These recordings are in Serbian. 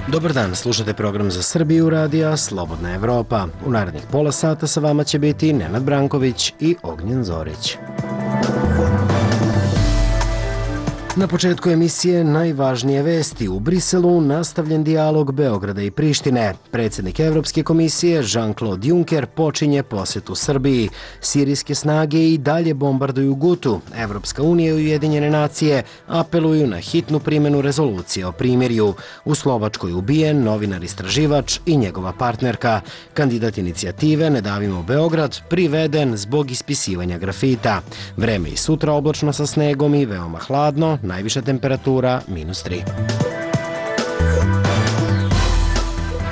Dobar dan, slušate program za Srbiju radija Slobodna Evropa. U narednih pola sata sa vama će biti Nenad Branković i Ognjen Zorić. Na početku emisije najvažnije vesti. U Briselu nastavljen dijalog Beograda i Prištine. Predsjednik Evropske komisije Jean-Claude Juncker počinje posjetu Srbiji. Sirijske snage i dalje bombarduju Gutu. Evropska unija i Ujedinjene nacije apeluju na hitnu primjenu rezolucije o primirju. U Slovačkoj ubijen novinar istraživač i njegova partnerka. Kandidat inicijative Ne davimo Beograd priveden zbog ispisivanja grafita. Vreme i sutra oblačno sa snegom i veoma hladno. Najviša temperatura -3.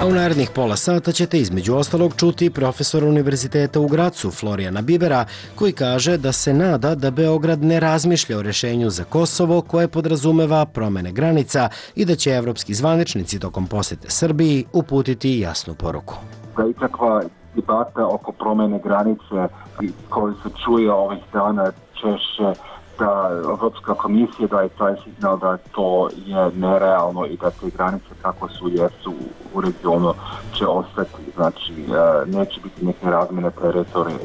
A u narednih pola sata ćete između ostalog čuti profesora Univerziteta u Gracu Florijana Bibera, koji kaže da se nada da Beograd ne razmišlja o rešenju za Kosovo koje podrazumeva promene granica i da će evropski zvaničnici tokom posete Srbiji uputiti jasnu poruku. Da ikakva debata oko promene granice koju se čuje ovih dana češće da Evropska komisija daje taj signal da to je nerealno i da te granice kako su jesu u regionu će ostati, znači neće biti neke razmjene teritorije.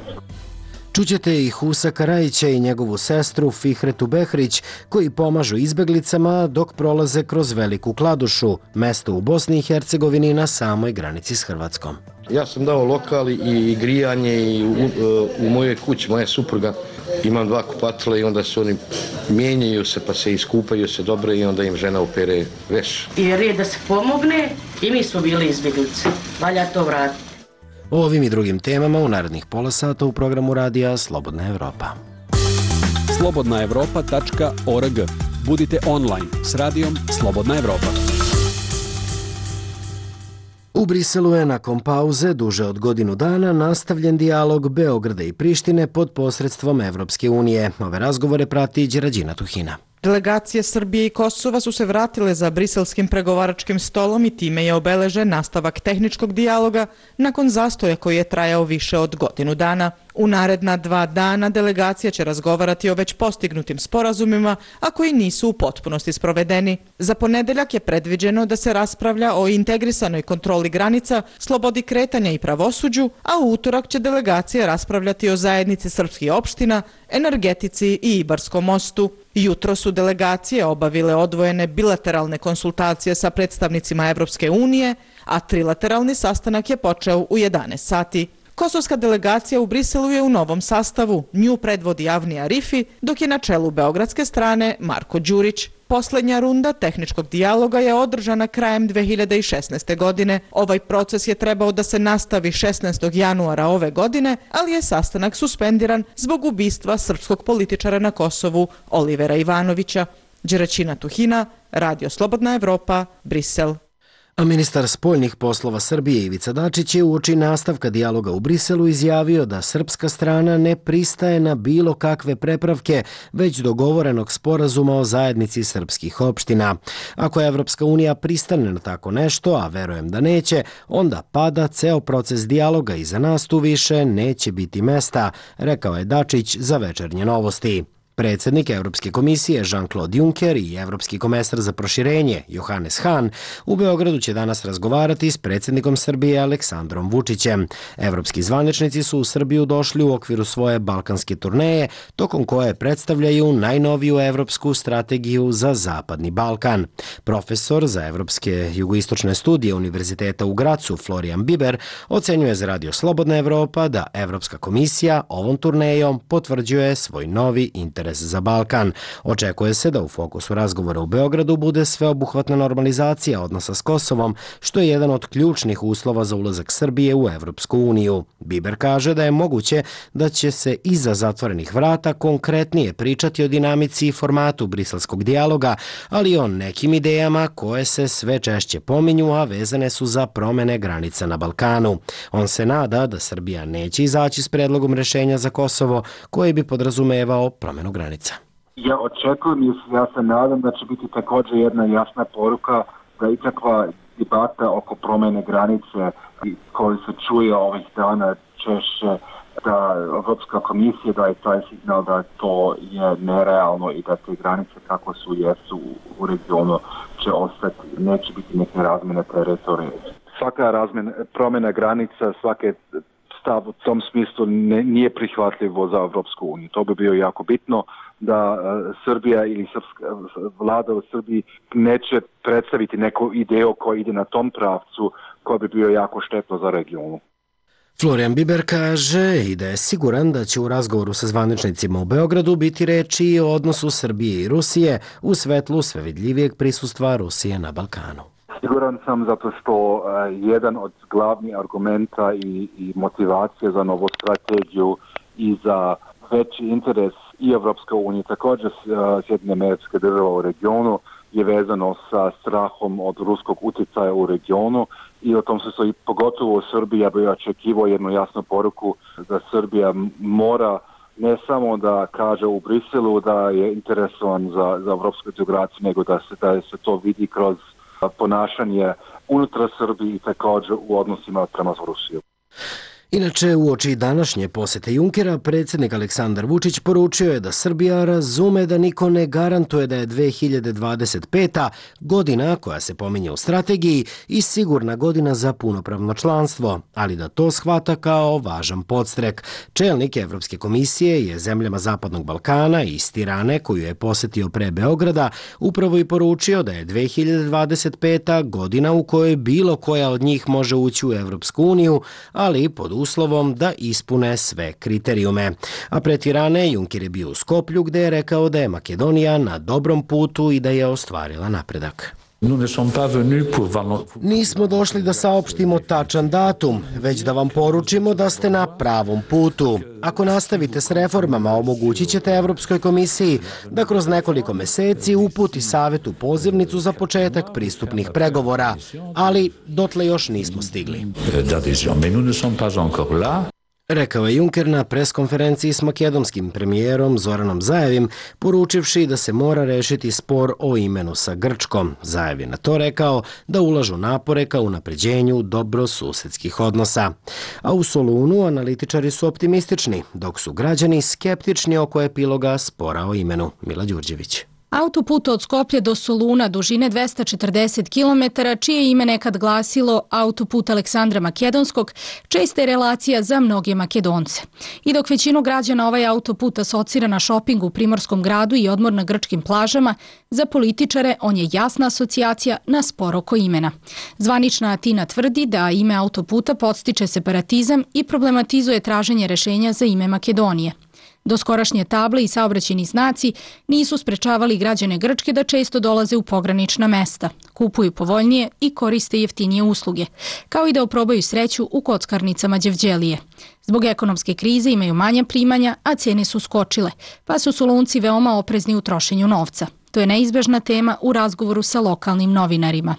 Čućete i Husa Karajića i njegovu sestru Fihretu Behrić, koji pomažu izbeglicama dok prolaze kroz Veliku Kladušu, mesto u Bosni i Hercegovini na samoj granici s Hrvatskom. Ja sam dao lokal i grijanje i u mojoj kući, moja supruga, imam 2 kupatila i onda se oni mijenjaju se pa se iskupaju se dobro i onda im žena opere veš. Jer je da se pomogne i mi smo bili izbjeglice. Valja to vratiti. O ovim i drugim temama u narednih pola sata u programu radija Slobodna Evropa. slobodnaevropa.org. Budite online s radijom Slobodna Evropa. U Briselu je nakon pauze duže od godinu dana nastavljen dijalog Beograda i Prištine pod posredstvom Evropske unije. Ove razgovore prati Đerađina Tuhina. Delegacije Srbije i Kosova su se vratile za briselskim pregovaračkim stolom i time je obeležen nastavak tehničkog dijaloga nakon zastoja koji je trajao više od godinu dana. U naredna 2 dana delegacija će razgovarati o već postignutim sporazumima, a koji nisu u potpunosti sprovedeni. Za ponedeljak je predviđeno da se raspravlja o integrisanoj kontroli granica, slobodi kretanja i pravosuđu, a u utorak će delegacija raspravljati o zajednici srpskih opština, energetici i Ibarskom mostu. Jutro su delegacije obavile odvojene bilateralne konsultacije sa predstavnicima Evropske unije, a trilateralni sastanak je počeo u 11 sati. Kosovska delegacija u Briselu je u novom sastavu. Nju predvodi Avni Arifi, dok je na čelu beogradske strane Marko Đurić. Poslednja runda tehničkog dijaloga je održana krajem 2016. godine. Ovaj proces je trebao da se nastavi 16. januara ove godine, ali je sastanak suspendiran zbog ubistva srpskog političara na Kosovu Olivera Ivanovića. Đeraćina Tuhina, Radio Slobodna Evropa, Brisel. A ministar spoljnih poslova Srbije Ivica Dačić je uoči nastavka dijaloga u Briselu izjavio da srpska strana ne pristaje na bilo kakve prepravke, već dogovorenog sporazuma o zajednici srpskih opština. Ako Evropska unija pristane na tako nešto, a verujem da neće, onda pada ceo proces dijaloga i za nas tu više neće biti mesta, rekao je Dačić za Večernje novosti. Predsjednik Evropske komisije Jean-Claude Juncker i Evropski komesar za proširenje Johannes Hahn u Beogradu će danas razgovarati s predsjednikom Srbije Aleksandrom Vučićem. Evropski zvaničnici su u Srbiju došli u okviru svoje balkanske turneje, tokom koje predstavljaju najnoviju evropsku strategiju za Zapadni Balkan. Profesor za evropske jugoistočne studije Univerziteta u Gracu Florijan Biber ocenjuje za Radio Slobodna Evropa da Evropska komisija ovom turnejom potvrđuje svoj novi interes za Balkan. Očekuje se da u fokusu razgovora u Beogradu bude sveobuhvatna normalizacija odnosa s Kosovom, što je jedan od ključnih uslova za ulazak Srbije u Evropsku uniju. Biber kaže da je moguće da će se iza zatvorenih vrata konkretnije pričati o dinamici i formatu briselskog dijaloga, ali i o nekim idejama koje se sve češće pominju, a vezane su za promene granica na Balkanu. On se nada da Srbija neće izaći s predlogom rešenja za Kosovo koji bi podrazumevao promenu granica. Ja očekujem i ja se nadam da će biti također jedna jasna poruka da ikakva debata oko promene granice koju se čuje ovih dana češće da Evropska komisija daje taj signal da to je nerealno i da te granice kako su jesu u regionu će ostati. neće biti neke razmjene teritorije. Svaka promjena granica, svake stav u tom smislu nije prihvatljivo za Evropsku uniju. To bi bio jako bitno da Srbija ili srpska vlada u Srbiji neće predstaviti neku ideju koja ide na tom pravcu koja bi bio jako štetno za regionu. Florian Biber kaže i da je siguran da će u razgovoru sa zvaničnicima u Beogradu biti reči i o odnosu Srbije i Rusije u svetlu sve vidljivijeg prisustva Rusije na Balkanu. Siguran sam zato što jedan od glavnih argumenta i motivacije za novu strategiju i za veći interes i Evropske unije, također Sjedinjene Američke Države u regionu, je vezano sa strahom od ruskog utjecaja u regionu i o tom se i pogotovo u Srbiji ja bih očekivao jednu jasnu poruku da Srbija mora ne samo da kaže u Briselu da je interesovan za evropsku integraciju, nego da se to vidi kroz ponašanje unutar Srbije i također u odnosima prema Rusiju. Inače, uoči današnje posete Junckera, predsjednik Aleksandar Vučić poručio je da Srbija razume da niko ne garantuje da je 2025. godina koja se pominje u strategiji i sigurna godina za punopravno članstvo, ali da to shvata kao važan podstrek. Čelnik Evropske komisije je zemljama Zapadnog Balkana i iz Tirane, koju je posetio pre Beograda, upravo i poručio da je 2025. godina u kojoj bilo koja od njih može ući u Evropsku uniju, ali pod uslovom da ispune sve kriterijume. A pre Tirane Juncker je bio u Skoplju gde je rekao da je Makedonija na dobrom putu i da je ostvarila napredak. Nismo došli da saopštimo tačan datum, već da vam poručimo da ste na pravom putu. Ako nastavite s reformama, omogućit ćete Evropskoj komisiji da kroz nekoliko meseci uputi Savetu pozivnicu za početak pristupnih pregovora, ali dotle još nismo stigli. Rekao je Juncker na preskonferenciji s makedonskim premijerom Zoranom Zaevim, poručivši da se mora rešiti spor o imenu sa Grčkom. Zaev je na to rekao da ulažu napore ka unapređenju dobrosusedskih odnosa. A u Solunu analitičari su optimistični, dok su građani skeptični oko epiloga spora o imenu. Mila Đurđević. Autoput od Skoplja do Soluna dužine 240 km, čije ime nekad glasilo autoput Aleksandra Makedonskog, česta je relacija za mnoge Makedonce. I dok većinu građana ovaj autoput asocira na šoping u Primorskom gradu i odmor na grčkim plažama, za političare on je jasna asocijacija na spor oko imena. Zvanična Atina tvrdi da ime autoputa podstiče separatizam i problematizuje traženje rešenja za ime Makedonije. Doskorašnje table i saobraćajni znaci nisu sprečavali građane Grčke da često dolaze u pogranična mesta, kupuju povoljnije i koriste jeftinije usluge, kao i da oprobaju sreću u kockarnicama Đevđelije. Zbog ekonomske krize imaju manja primanja, a cene su skočile, pa su Solunci veoma oprezni u trošenju novca. To je neizbežna tema u razgovoru sa lokalnim novinarima.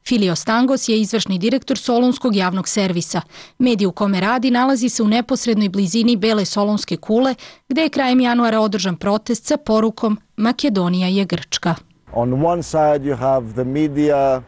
Filio Stangos je izvršni direktor Solunskog javnog servisa. Medij u kome radi nalazi se u neposrednoj blizini Bele Solunske kule, gde je krajem januara održan protest sa porukom Makedonija je Grčka. On one side you have the media.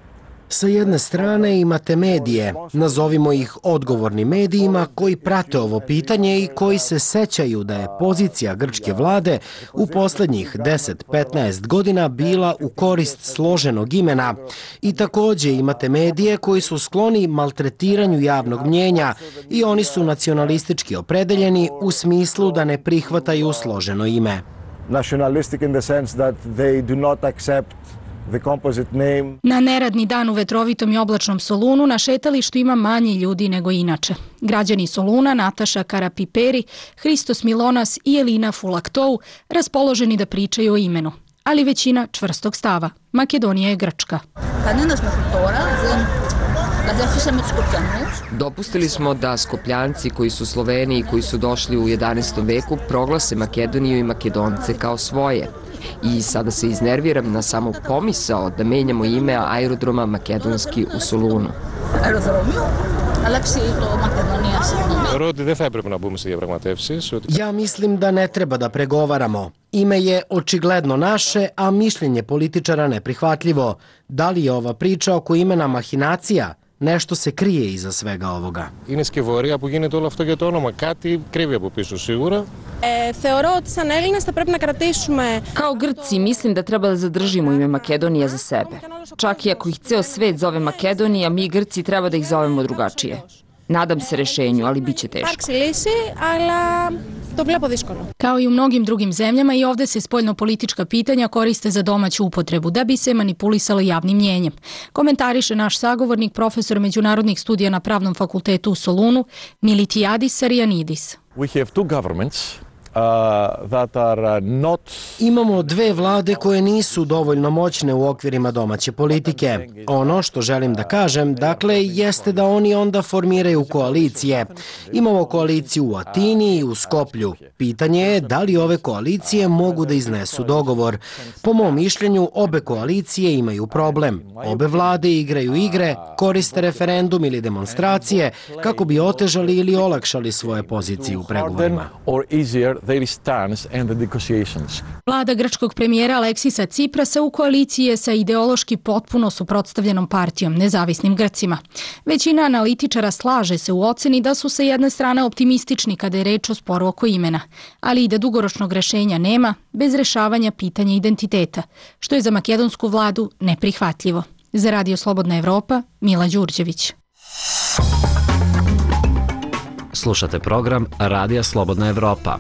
Sa jedne strane imate medije, nazovimo ih odgovornim medijima, koji prate ovo pitanje i koji se sećaju da je pozicija grčke vlade u poslednjih 10-15 godina bila u korist složenog imena. I takođe imate medije koji su skloni maltretiranju javnog mnjenja i oni su nacionalistički opredeljeni u smislu da ne prihvataju složeno ime. Nationalistic in the sense that they do not accept the composite name. Na neradni dan u vetrovitom i oblačnom Solunu na šetalištu ima manje ljudi nego inače. Građani Soluna, Nataša Karapiperi, Hristos Milonas i Elina Fulaktou raspoloženi da pričaju o imenu, ali većina čvrstog stava. Makedonija je Grčka. Dopustili smo da Skopljanci koji su Sloveni i koji su došli u 11. veku proglase Makedoniju i Makedonce kao svoje. I sada se iznerviram na samo pomisao da menjamo ime aerodroma Makedonski u Solunu. Ja mislim da ne treba da pregovaramo. Ime je očigledno naše, a mišljenje političara neprihvatljivo. Da li je ova priča oko imena mahinacija? nešto se krije iza svega ovoga. Είναι σκευωρία που γίνεται όλο αυτό για το όνομα. Κάτι κρύβει από πίσω σίγουρα. Θεωρώ ότι σαν Έλληνες θα πρέπει να κρατήσουμε... Kao Grci mislim da treba da zadržimo ime Makedonija za sebe. Čak i ako ih ceo svet zove Makedonija, mi Grci treba da ih zovemo drugačije. Nadam se rešenju, ali bit će teško. Kao i u mnogim drugim zemljama, i ovde se spoljnopolitička pitanja koriste za domaću upotrebu, da bi se manipulisalo javnim mnjenjem. Komentariše naš sagovornik, profesor međunarodnih studija na Pravnom fakultetu u Solunu, Militiadis Sarianidis. We have two governments that are not... Imamo dve vlade koje nisu dovoljno moćne u okvirima domaće politike. Ono što želim da kažem, dakle, jeste da oni onda formiraju koalicije. Imamo koaliciju u Atini i u Skoplju. Pitanje je da li ove koalicije mogu da iznesu dogovor. Po mom mišljenju, obe koalicije imaju problem. Obe vlade igraju igre, koriste referendum ili demonstracije kako bi otežali ili olakšali svoje pozicije u pregovorima. Vlada grčkog premijera Aleksisa Ciprasa u koaliciji je sa ideološki potpuno suprotstavljenom partijom, Nezavisnim Grcima. Većina analitičara slaže se u oceni da su sa jedne strane optimistični kada je reč o sporu oko imena, ali i da dugoročnog rešenja nema bez rešavanja pitanja identiteta, što je za makedonsku vladu neprihvatljivo. Za Radio Slobodna Evropa, Mila Đurđević. Slušate program Radija Slobodna Evropa.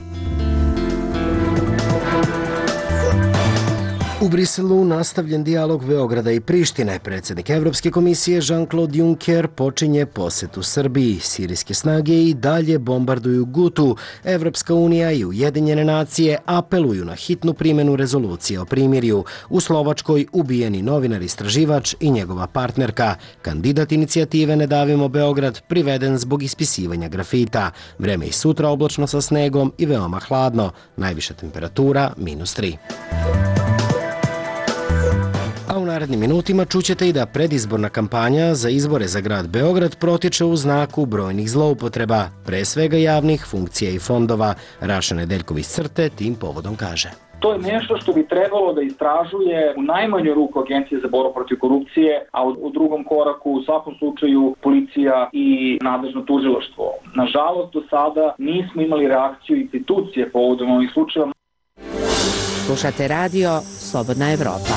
U Briselu nastavljen dijalog Beograda i Prištine. Predsjednik Evropske komisije Jean-Claude Juncker počinje posetu Srbiji. Sirijske snage i dalje bombarduju Gutu. Evropska unija i Ujedinjene nacije apeluju na hitnu primjenu rezolucije o primirju. U Slovačkoj ubijeni novinar-istraživač i njegova partnerka. Kandidat inicijative Ne davimo Beograd priveden zbog ispisivanja grafita. Vreme i sutra oblačno sa snegom i veoma hladno. Najviša temperatura -3. A u narednim minutima čućete i da predizborna kampanja za izbore za grad Beograd protiče u znaku brojnih zloupotreba, pre svega javnih funkcija i fondova. Raša Nedeljković Crte tim povodom kaže. To je nešto što bi trebalo da istražuje u najmanju ruku Agencija za borbu protiv korupcije, a u drugom koraku u svakom slučaju policija i nadležno tužilaštvo. Nažalost, do sada nismo imali reakciju institucije povodom ovih slučajeva. Slušate radio Slobodna Evropa.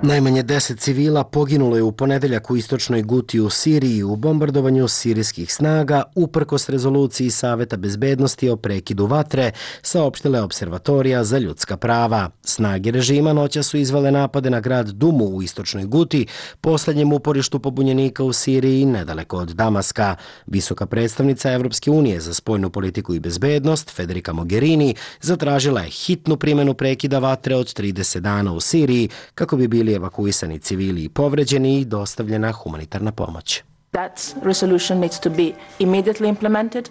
Najmanje 10 civila poginulo je u ponedeljak u istočnoj Guti u Siriji u bombardovanju sirijskih snaga uprkos rezoluciji Saveta bezbednosti o prekidu vatre, saopštila je Observatorija za ljudska prava. Snage režima noća su izvele napade na grad Dumu u istočnoj Guti, poslednjem uporištu pobunjenika u Siriji nedaleko od Damaska. Visoka predstavnica Evropske unije za spoljnu politiku i bezbednost, Federica Mogherini, zatražila je hitnu primjenu prekida vatre od 30 dana u Siriji kako bi bili evakuisani civili i povređeni i dostavljena humanitarna pomoć.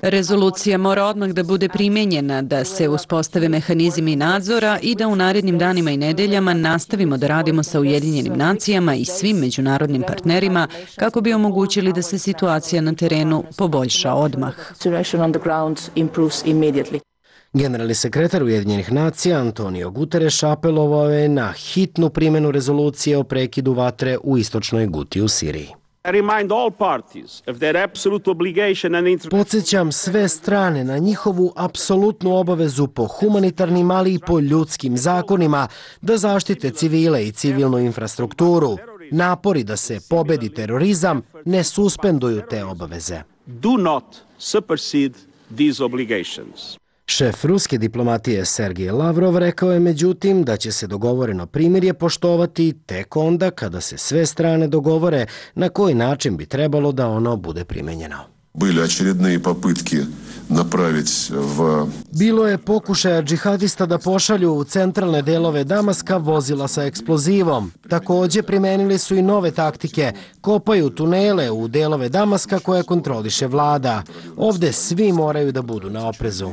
Rezolucija mora odmah da bude primenjena, da se uspostave mehanizmi nadzora i da u narednim danima i nedeljama nastavimo da radimo sa Ujedinjenim nacijama i svim međunarodnim partnerima kako bi omogućili da se situacija na terenu poboljša odmah. Generalni sekretar Ujedinjenih nacija Antonio Guterres apelovao je na hitnu primjenu rezolucije o prekidu vatre u istočnoj Guti u Siriji. Podsjećam sve strane na njihovu apsolutnu obavezu po humanitarnim, ali i po ljudskim zakonima da zaštite civile i civilnu infrastrukturu. Napori da se pobedi terorizam ne suspenduju te obaveze. Do not supersede these obligations. Šef ruske diplomatije Sergej Lavrov rekao je međutim da će se dogovoreno primirje poštovati tek onda kada se sve strane dogovore na koji način bi trebalo da ono bude primenjeno. Bilo je pokušaja džihadista da pošalju u centralne delove Damaska vozila sa eksplozivom. Također primenili su i nove taktike, kopaju tunele u delove Damaska koje kontroliše vlada. Ovde svi moraju da budu na oprezu.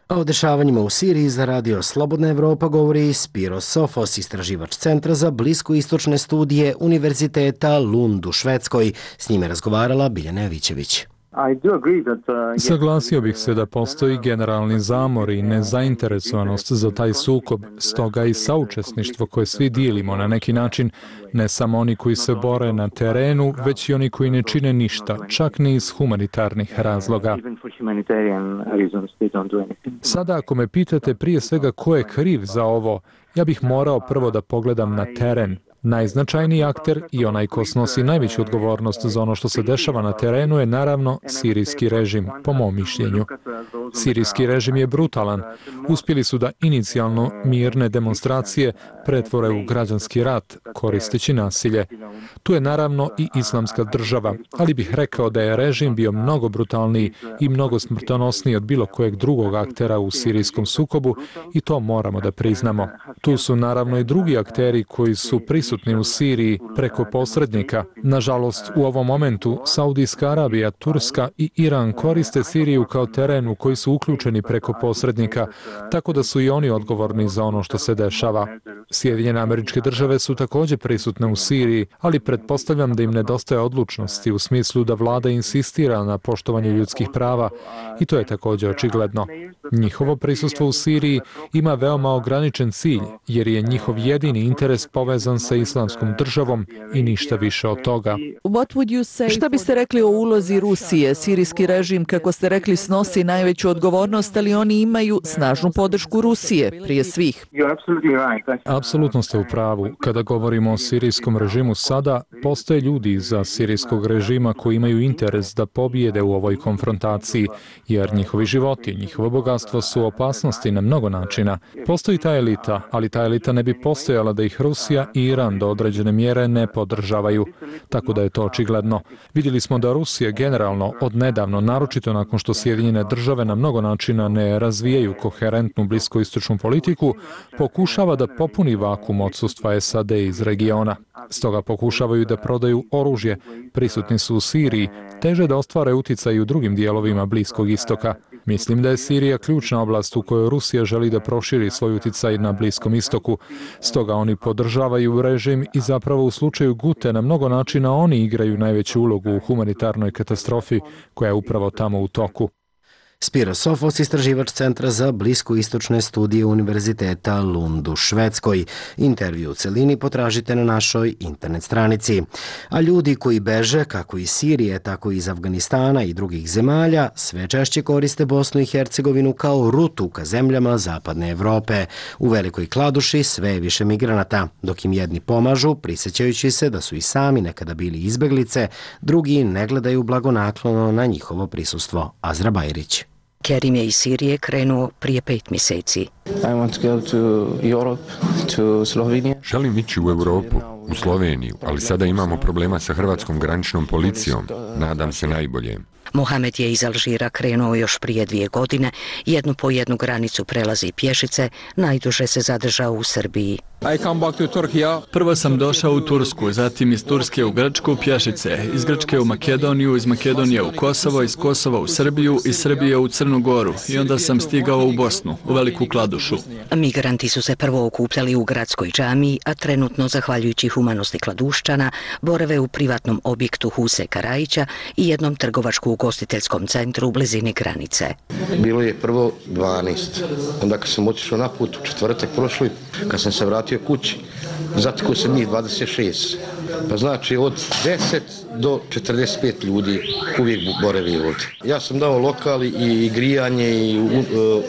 A o dešavanjima u Siriji za Radio Slobodna Evropa govori Spiro Sofos, istraživač Centra za bliskoistočne studije Univerziteta Lund u Švedskoj. S njime razgovarala Biljana Jovićević. Saglasio bih se da postoji generalni zamor i nezainteresovanost za taj sukob, stoga i saučesništvo koje svi dijelimo na neki način, ne samo oni koji se bore na terenu, već i oni koji ne čine ništa, čak ni iz humanitarnih razloga. Sada ako me pitate prije svega ko je kriv za ovo, ja bih morao prvo da pogledam na teren. Najznačajniji akter i onaj ko snosi najveću odgovornost za ono što se dešava na terenu je naravno sirijski režim, po mom mišljenju. Sirijski režim je brutalan. Uspjeli su da inicijalno mirne demonstracije pretvore u građanski rat, koristeći nasilje. Tu je naravno i islamska država, ali bih rekao da je režim bio mnogo brutalniji i mnogo smrtonosniji od bilo kojeg drugog aktera u sirijskom sukobu i to moramo da priznamo. Tu su naravno i drugi akteri koji su prisutni u Siriji preko posrednika. Nažalost, u ovom momentu Saudijska Arabija, Turska i Iran koriste Siriju kao teren u koji su uključeni preko posrednika, tako da su i oni odgovorni za ono što se dešava. Sjedinjene Američke Države su također prisutne u Siriji, ali pretpostavljam da im nedostaje odlučnosti u smislu da vlada insistira na poštovanju ljudskih prava i to je također očigledno. Njihovo prisustvo u Siriji ima veoma ograničen cilj, jer je njihov jedini interes povezan sa islamskom državom i ništa više od toga. Šta biste rekli o ulozi Rusije? Sirijski režim, kako ste rekli, snosi najveću odgovornost, ali oni imaju snažnu podršku Rusije, prije svih. Apsolutno ste u pravu. Kada govorimo o sirijskom režimu sada, postoje ljudi iza sirijskog režima koji imaju interes da pobijede u ovoj konfrontaciji, jer njihovi životi, njihovo bogatstvo su opasnosti na mnogo načina. Postoji ta elita, ali ta elita ne bi postojala da ih Rusija i Iran do određene mjere ne podržavaju, tako da je to očigledno. Vidjeli smo da Rusija generalno odnedavno, naročito nakon što Sjedinjene Države na mnogo načina ne razvijaju koherentnu bliskoistočnu politiku, pokušava da popuni vakuum odsustva SAD iz regiona. Stoga pokušavaju da prodaju oružje, prisutni su u Siriji, teže da ostvare uticaj u drugim dijelovima Bliskog istoka. Mislim da je Sirija ključna oblast u kojoj Rusija želi da proširi svoj uticaj na Bliskom istoku. Stoga oni podržavaju režim i zapravo u slučaju Gute na mnogo načina oni igraju najveću ulogu u humanitarnoj katastrofi koja je upravo tamo u toku. Spiro Sofos, istraživač Centra za bliskoistočne studije Univerziteta Lund u Švedskoj. Intervju u celini potražite na našoj internet stranici. A ljudi koji beže kako iz Sirije, tako i iz Afganistana i drugih zemalja, sve češće koriste Bosnu i Hercegovinu kao rutu ka zemljama Zapadne Evrope. U Velikoj Kladuši sve je više migranata. Dok im jedni pomažu, prisjećajući se da su i sami nekada bili izbeglice, drugi ne gledaju blagonaklono na njihovo prisustvo. Azra Bajrić. Kerim je iz Sirije krenuo prije 5 mjeseci. Želim ići u Europu, u Sloveniju, ali sada imamo problema sa hrvatskom graničnom policijom. Nadam se najbolje. Mohamed je iz Alžira krenuo još prije 2 godine, jednu po jednu granicu prelazi pješice, najduže se zadržao u Srbiji. Prvo sam došao u Tursku, zatim iz Turske u Grčku pješice, iz Grčke u Makedoniju, iz Makedonije u Kosovo, iz Kosova u Srbiju, iz Srbije u Crnu Goru i onda sam stigao u Bosnu, u Veliku Kladušu. Migranti su se prvo okupljali u gradskoj džamiji, a trenutno, zahvaljujući humanosti Kladuščana, borave u privatnom objektu Huse Karajića i jednom trgovačko-ugostiteljskom centru u blizini granice. Bilo je prvo 12, onda kad sam otišao na put u četvrtak prošli, kad sam se vratio kući, zatekao sam njih 26. Pa znači od 10 do 45 ljudi uvijek boravi ovdje. Ja sam dao lokal i grijanje i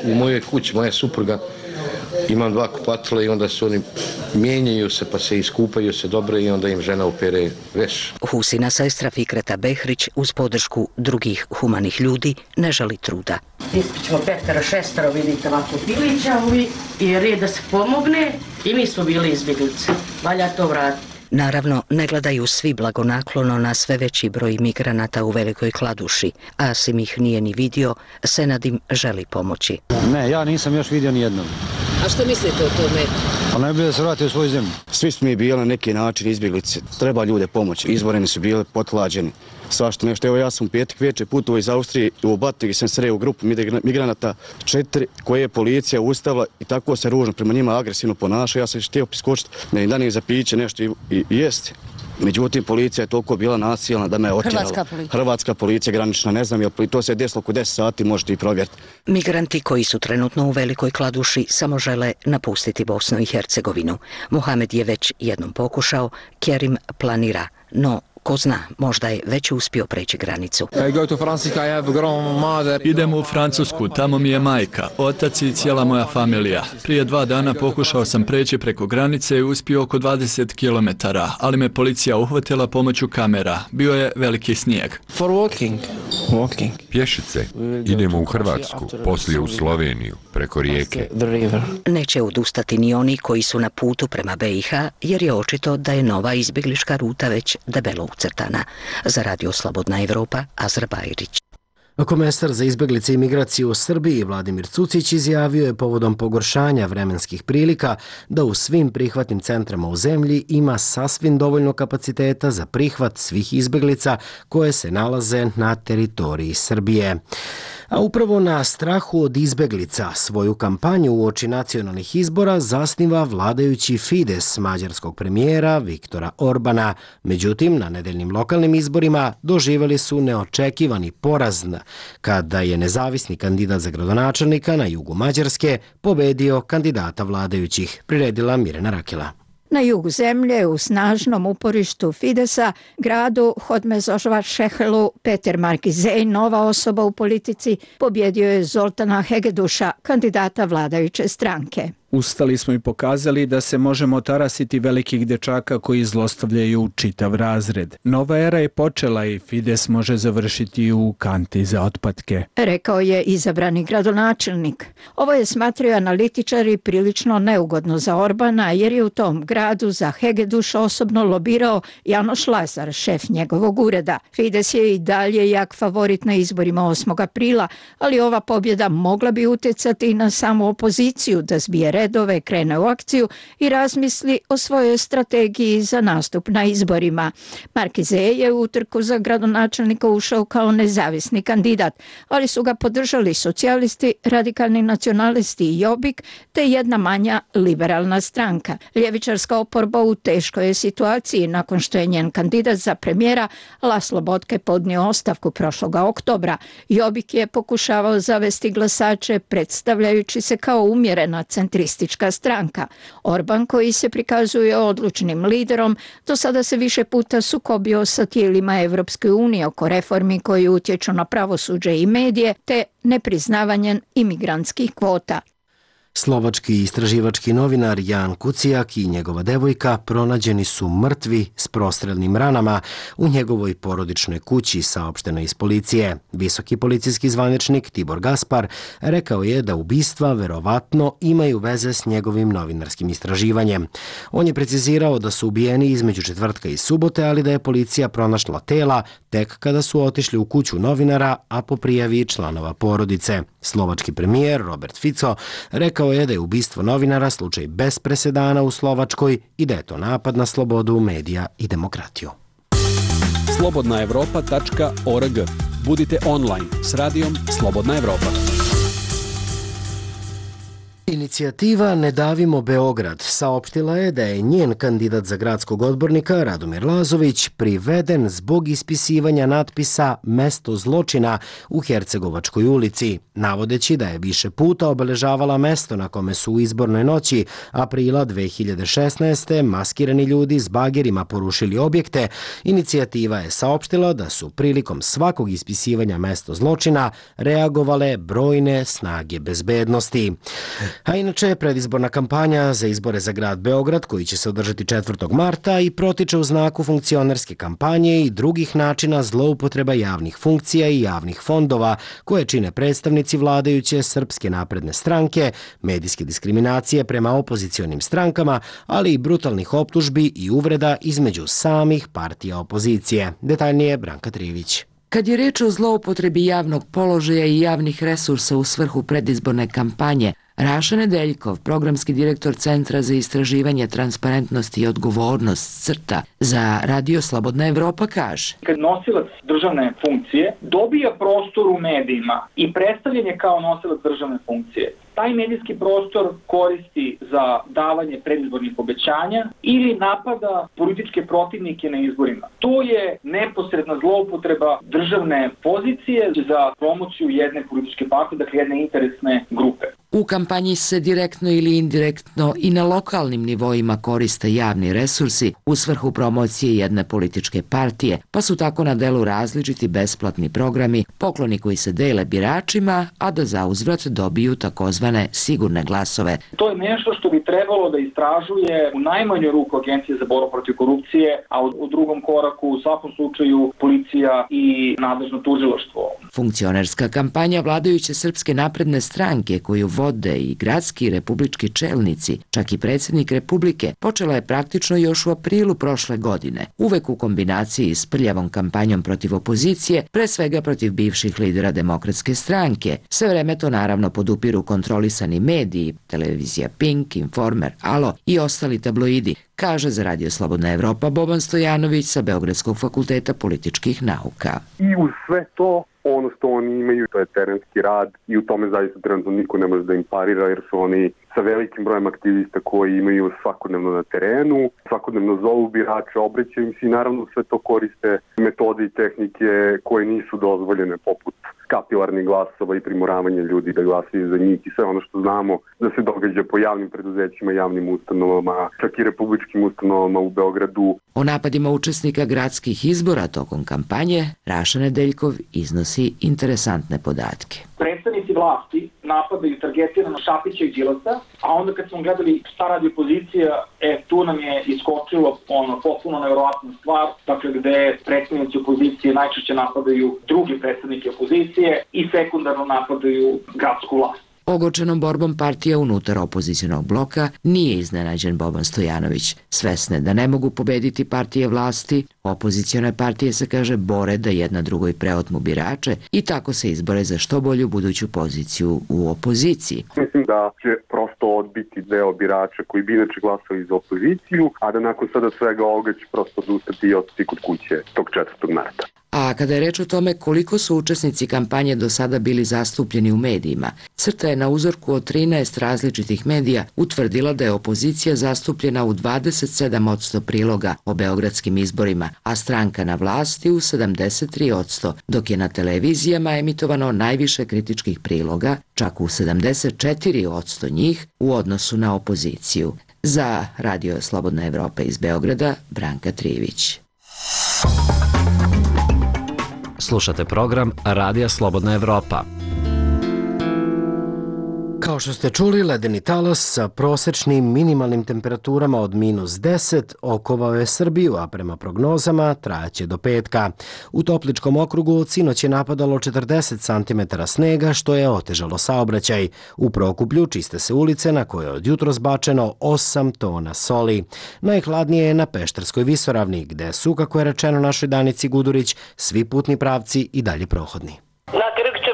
u mojoj kući, moja supruga, imam 2 kupatila i onda se oni mijenjaju se pa se iskupaju se dobro i onda im žena opere veš. Husina sestra Fikreta Behrić uz podršku drugih humanih ljudi ne žali truda. Ispićemo 5-6, vidite ovako pilića i red da se pomogne i mi smo bili izbjeglice. Valja to vratiti. Naravno, ne gledaju svi blagonaklono na sve veći broj migranata u Velikoj Kladuši. Asim ih nije ni vidio, Senad im želi pomoći. Ne, ja nisam još vidio ni jednog. A što mislite o tome? Pa najbolje da se vrati u svoju zemlju. Svi smo mi bili na neki način izbjeglice. Treba ljude pomoći. Izboreni su bili potlađeni. Svašta nešto. Evo ja sam u petak večer putovao iz Austrije u Batnik i sam sreo u grupu migranata 4 koje je policija ustavila i tako se ružno prema njima agresivno ponaša. Ja sam htio priskočiti da im danim za piće nešto i jesti. Međutim, policija je toliko bila nasilna da me je otjerala. Hrvatska policija granična, ne znam, to se desilo oko 10 sati, možete i provjeriti. Migranti koji su trenutno u Velikoj Kladuši samo žele napustiti Bosnu i Hercegovinu. Mohamed je već jednom pokušao, Kerim planira, no ko zna, možda je već uspio preći granicu. Idem u Francusku, tamo mi je majka, otac i cijela moja familija. Prije 2 dana pokušao sam preći preko granice i uspio oko 20 km, ali me policija uhvatila pomoću kamera. Bio je veliki snijeg. Pješice. Idemo u Hrvatsku, poslije u Sloveniju, preko rijeke. Neće odustati ni oni koji su na putu prema BiH, jer je očito da je nova izbjeglička ruta već debelo ucrtana. Za Radio Slobodna Evropa, Azra Bajrić. Komesar za izbjeglice i migraciju u Srbiji Vladimir Cucić izjavio je povodom pogoršanja vremenskih prilika da u svim prihvatnim centrama u zemlji ima sasvim dovoljno kapaciteta za prihvat svih izbjeglica koje se nalaze na teritoriji Srbije. A upravo na strahu od izbjeglica svoju kampanju uoči nacionalnih izbora zasniva vladajući Fides mađarskog premijera Viktora Orbana. Međutim, na nedeljnim lokalnim izborima doživjeli su neočekivani poraz kada je nezavisni kandidat za gradonačelnika na jugu Mađarske pobedio kandidata vladajućih, priredila Mirjana Rakela. Na jugu zemlje, u snažnom uporištu Fidesa, gradu Hodmezovac-Šehelu, Peter Markizej, nova osoba u politici, pobjedio je Zoltana Hegeduša, kandidata vladajuće stranke. Ustali smo i pokazali da se možemo tarasiti velikih dečaka koji zlostavljaju čitav razred. Nova era je počela i Fides može završiti u kanti za otpadke, rekao je izabrani gradonačelnik. Ovo je, smatraju analitičari, prilično neugodno za Orbana, jer je u tom gradu za Hegeduša osobno lobirao Janoš Lazar, šef njegovog ureda. Fides je i dalje jak favorit na izborima 8. aprila, ali ova pobjeda mogla bi utjecati na samu opoziciju da zbije redove, krene u akciju i razmisli o svojoj strategiji za nastup na izborima. Markizej je u utrku za gradonačelnika ušao kao nezavisni kandidat, ali su ga podržali socijalisti, radikalni nacionalisti i Jobbik, te jedna manja liberalna stranka. Ljevičarska oporba u teškoj je situaciji nakon što je njen kandidat za premijera Laslo Botke podnio ostavku prošloga oktobra. Jobbik je pokušavao zavesti glasače predstavljajući se kao umjerena centristička stranka. Orban, koji se prikazuje odlučnim liderom, do sada se više puta sukobio sa tijelima Evropske unije oko reformi koji utječu na pravosuđe i medije, te nepriznavanjem imigrantskih kvota. Slovački istraživački novinar Jan Kucijak i njegova devojka pronađeni su mrtvi s prostrelnim ranama u njegovoj porodičnoj kući, saopšteno iz policije. Visoki policijski zvaničnik Tibor Gaspar rekao je da ubistva verovatno imaju veze s njegovim novinarskim istraživanjem. On je precizirao da su ubijeni između četvrtka i subote, ali da je policija pronašla tela tek kada su otišli u kuću novinara, a po prijavi članova porodice. Slovački premijer Robert Fico rekao je da je ubistvo novinara slučaj bez presedana u Slovačkoj i da je to napad na slobodu medija i demokratiju. slobodnaevropa.org. Budite online s radijom Slobodna Evropa. Inicijativa Ne davimo Beograd saopštila je da je njen kandidat za gradskog odbornika Radomir Lazović priveden zbog ispisivanja natpisa Mesto zločina u Hercegovačkoj ulici, navodeći da je više puta obeležavala mesto na kome su u izbornoj noći aprila 2016. maskirani ljudi s bagerima porušili objekte. Inicijativa je saopštila da su prilikom svakog ispisivanja Mesto zločina reagovale brojne snage bezbednosti. A inače, predizborna kampanja za izbore za grad Beograd, koji će se održati 4. marta i protiče u znaku funkcionerske kampanje i drugih načina zloupotreba javnih funkcija i javnih fondova koje čine predstavnici vladajuće Srpske napredne stranke, medijske diskriminacije prema opozicionim strankama, ali i brutalnih optužbi i uvreda između samih partija opozicije. Detaljnije Branka Trivić. Kad je reč o zloupotrebi javnog položaja i javnih resursa u svrhu predizborne kampanje, Raša Nedeljkov, programski direktor Centra za istraživanje transparentnosti i odgovornost CRTA za Radio Slobodna Evropa kaže: Kad nosilac državne funkcije dobija prostor u medijima i predstavljen je kao nosilac državne funkcije, taj medijski prostor koristi za davanje predizbornih obećanja ili napada političke protivnike na izborima. To je neposredna zloupotreba državne pozicije za promociju jedne političke partije, dakle jedne interesne grupe. U kampanji se direktno ili indirektno i na lokalnim nivoima koriste javni resursi u svrhu promocije jedne političke partije, pa su tako na delu različiti besplatni programi, pokloni koji se dele biračima, a da zauzvrat dobiju takozvane sigurne glasove. To je nešto što bi trebalo da istražuje u najmanju ruku Agencija za borbu protiv korupcije, a u drugom koraku u svakom slučaju policija i nadležno tužilaštvo. Funkcionerska kampanja vladajuće Srpske napredne stranke koju vode i gradski i republički čelnici, čak i predsjednik Republike, počela je praktično još u aprilu prošle godine, uvek u kombinaciji s prljavom kampanjom protiv opozicije, pre svega protiv bivših lidera Demokratske stranke. Sve vreme to naravno podupiru kontrolisani mediji, televizija Pink, Informer, Alo i ostali tabloidi, kaže za Radio Slobodna Evropa Boban Stojanović sa Beogradskog fakulteta političkih nauka. I uz sve to, ono što oni imaju, to je terenski rad i u tome zaista trenutno niko ne može da im parira jer su oni sa velikim brojem aktivista koji imaju svakodnevno na terenu, svakodnevno zovu birače, obraćaju im se i naravno sve to koriste metode i tehnike koje nisu dozvoljene poput kapilarnih glasova i primoravanja ljudi da glasaju za njih i sve ono što znamo da se događa po javnim preduzećima, javnim ustanovama, čak i republičkim ustanovama u Beogradu. O napadima učesnika gradskih izbora tokom kampanje Raša Nedeljkov iznosi interesantne podatke. Predstavnici vlasti napadaju targetirano Šapića i Đilasa, a onda kad smo gledali šta radi opozicija, tu nam je iskočilo potpuno nevjerovatna stvar, dakle gde predstavnici opozicije najčešće napadaju drugi predstavnike opozicije i sekundarno napadaju gradsku vlast. Ogorčenom borbom partija unutar opozicionog bloka nije iznenađen Boban Stojanović. Svesne da ne mogu pobediti partije vlasti, opozicione partije se kaže bore da jedna drugoj preotmu birače i tako se izbore za što bolju buduću poziciju u opoziciji. Mislim da će prosto odbiti deo birača koji bi inače glasali za opoziciju, a da nakon sada svega ovoga će prosto odustati i otići kod kuće tog 4. marta. A kada je reč o tome koliko su učesnici kampanje do sada bili zastupljeni u medijima, CRTA je na uzorku od 13 različitih medija utvrdila da je opozicija zastupljena u 27% priloga o beogradskim izborima, a stranka na vlasti u 73%, dok je na televizijama emitovano najviše kritičkih priloga, čak u 74% njih u odnosu na opoziciju. Za Radio Slobodna Evropa iz Beograda, Branka Trivić. Slušate program Radija Slobodna Evropa. Kao što ste čuli, ledeni talas sa prosečnim minimalnim temperaturama od -10 okovao je Srbiju, a prema prognozama trajaće do petka. U Topličkom okrugu sinoć je napadalo 40 cm snega, što je otežalo saobraćaj. U Prokuplju čiste se ulice na koje je od jutros bačeno 8 tona soli. Najhladnije je na Pešterskoj visoravni, gde su, kako je rečeno našoj Danici Gudurić, svi putni pravci i dalje prohodni. Na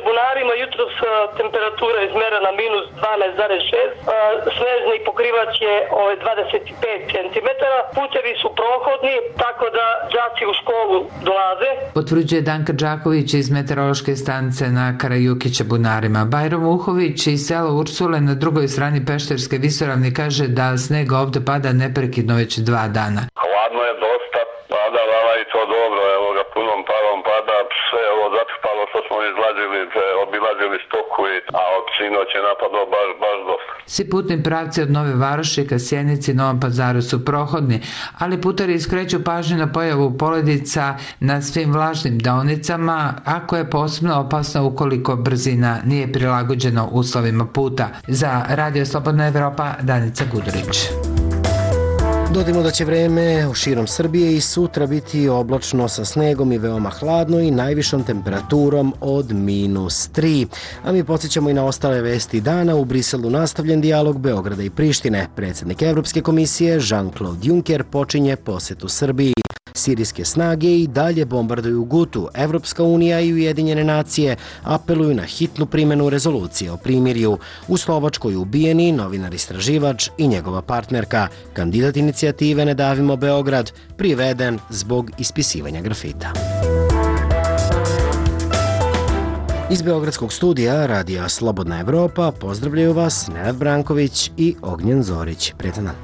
Bunarima jutros temperatura izmerena -12,6, snežni pokrivač je 25 cm, putevi su prohodni, tako da đaci u školu dolaze. Potvrđuje Danka Đaković iz meteorološke stanice na Karajukića Bunarima. Bajro Vuhović iz sela Ursule na drugoj strani Pešterske visoravni kaže da sneg ovde pada neprekidno već 2 dana. Hladno je dosta, pada lava i to dobro, evo ga punom parom pada, sve ovo zatrpalo što smo obilazili stoku, a od sinoć je napadlo baš dosta. Svi putni pravci od Nove Varoši ka Sjenici i Novom Pazaru su prohodni, ali putari skreću pažnju na pojavu poledica na svim vlažnim deonicama, ako je posebno opasno ukoliko brzina nije prilagođena uslovima puta. Za Radio Slobodna Evropa, Danica Gudurić. Dodajmo da će vreme u širom Srbije i sutra biti oblačno sa snegom i veoma hladno i najvišom temperaturom od -3. A mi podsjećamo i na ostale vesti dana. U Briselu nastavljen dijalog Beograda i Prištine. Predsjednik Evropske komisije Jean-Claude Juncker počinje posetu Srbiji. Sirijske snage i dalje bombarduju Gutu. Evropska unija i Ujedinjene nacije apeluju na hitnu primjenu rezolucije o primirju. U Slovačkoj ubijeni novinar istraživač i njegova partnerka, kandidat inicijative Ne davimo Beograd, priveden zbog ispisivanja grafita. Iz Beogradskog studija Radija Slobodna Evropa pozdravljaju vas Nenad Branković i Ognjen Zorić. Prijetan dan.